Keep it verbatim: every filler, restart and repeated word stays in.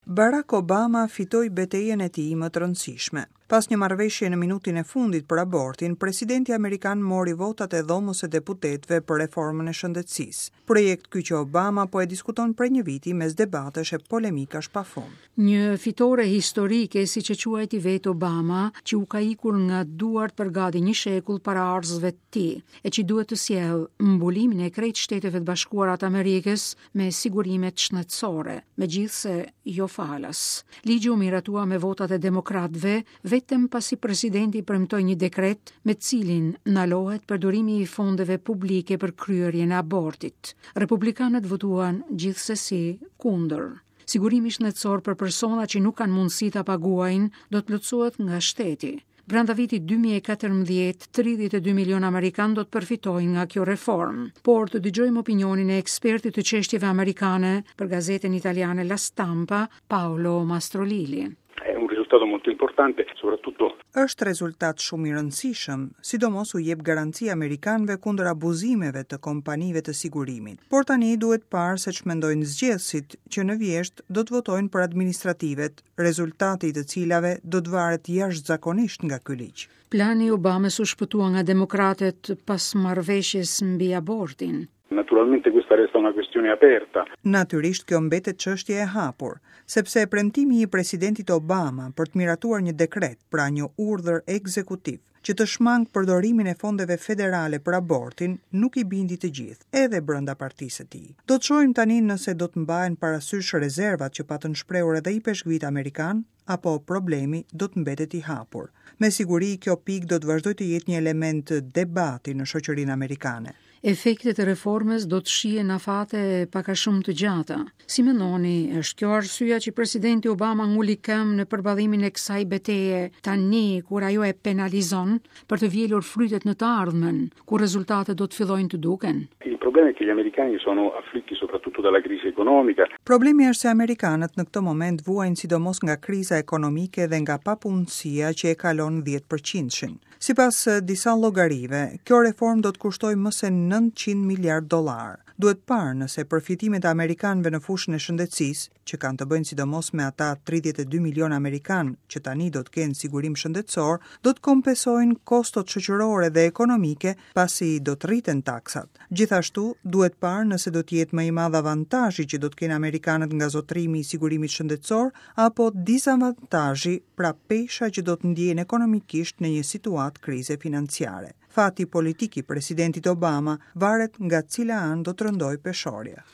Barack Obama fitoi betejën e tij më të rëndësishme. Pas një marrëveshje në minutin e fundit për abortin, presidenti amerikan mori votat e Dhomës së Deputetëve për reformën e shëndetësisë. Projekt ky që Obama po e diskuton prej një viti mes debatesh e polemikash pafund. Një fitore historike, siç e quajti vetë Obama, që u ka ikur nga duart për gati një shekull paraardhësve të tij, e që duhet të sjellë mbulimin e krejt Shteteve të Bashkuara të Amerikës me sigurimet shëndetësore, megjithëse jo falas. Ligji u miratua me votat e demokratëve vetëm pasi presidenti premtoi një dekret me cilin ndalohet përdorimi i fondeve publike për kryerjen e abortit. Republikanët votuan gjithsesi kundër. Sigurimi shëndetësor për persona që nuk kanë mundësi ta paguajnë do të plotësohet nga shteti. Brenda vitit dy mijë e katërmbëdhjetë, tridhjetë e dy milion amerikanë do të përfitojnë nga kjo reformë. Por të dëgjojmë opinionin e ekspertit të çështjeve amerikane për gazetën italiane La Stampa, Paolo Mastrolilli. È un risultato molto importante, soprattutto Është rezultat shumë i rëndësishëm, sidomos u jep garanci amerikanëve kundër abuzimeve të kompanive të sigurimit. Por tani duhet parë se ç'mendojnë zgjedhësit që në vjesht do të votojnë për administrativet, rezultati i të cilave do të varet jashtëzakonisht nga ky ligj. Plani i Obamës u shpëtua nga demokratët pas marrëveshjes mbi abortin. Naturalmente questa resta una questione aperta. Natyrisht, kjo mbetet çështje e hapur, sepse premtimi i presidentit Obama për të miratuar një dekret, pra një urdhër ekzekutiv, që të shmang përdorimin e fondeve federale për abortin, nuk i bindi të gjithë, edhe brenda partisë së tij. Do të shohim tani nëse do të mbahen parasysh rezervat që patën shprehur edhe ipeshkvit amerikan, apo problemi do të mbetet i hapur. Me siguri, kjo pikë do të vazhdojë të jetë një element debati në shoqërinë amerikane. Efektet e reformës do të shihen në afate pak a shumë të gjata. Si mendoni, është kjo arsyeja që presidenti Obama nguli këmbë në përballimin e kësaj beteje tani, kur ajo e penalizon për të vjelur frytet në të ardhmen, kur rezultatet do të fillojnë të duken? Il problema è che gli americani sono afflitti soprattutto dalla crisi economica. Problemi është se amerikanët në këtë moment vuajnë sidomos nga kriza ekonomike dhe nga papunësia që e kalon dhjetë përqindshin. Sipas disa llogarive, kjo reformë do të kushtojë më se nëntëqind miliard dollar. Duhet parë nëse përfitimet e amerikanëve në fushën e shëndetësisë, që kanë të bëjnë sidomos me ata tridhjetë e dy milion amerikanë që tani do të kenë sigurim shëndetësor, do të kompensojnë kostot shoqërore dhe ekonomike, pasi do të rriten taksat. Gjithashtu, duhet parë nëse do të jetë më i madh avantazhi që do të kenë amerikanët nga zotrimi i sigurimit shëndetësor apo disavantazhi, pra pesha që do të ndjejnë ekonomikisht në një situatë krize financiare. Fati politik i presidentit Obama varet nga cila anë do të rëndojë peshorja.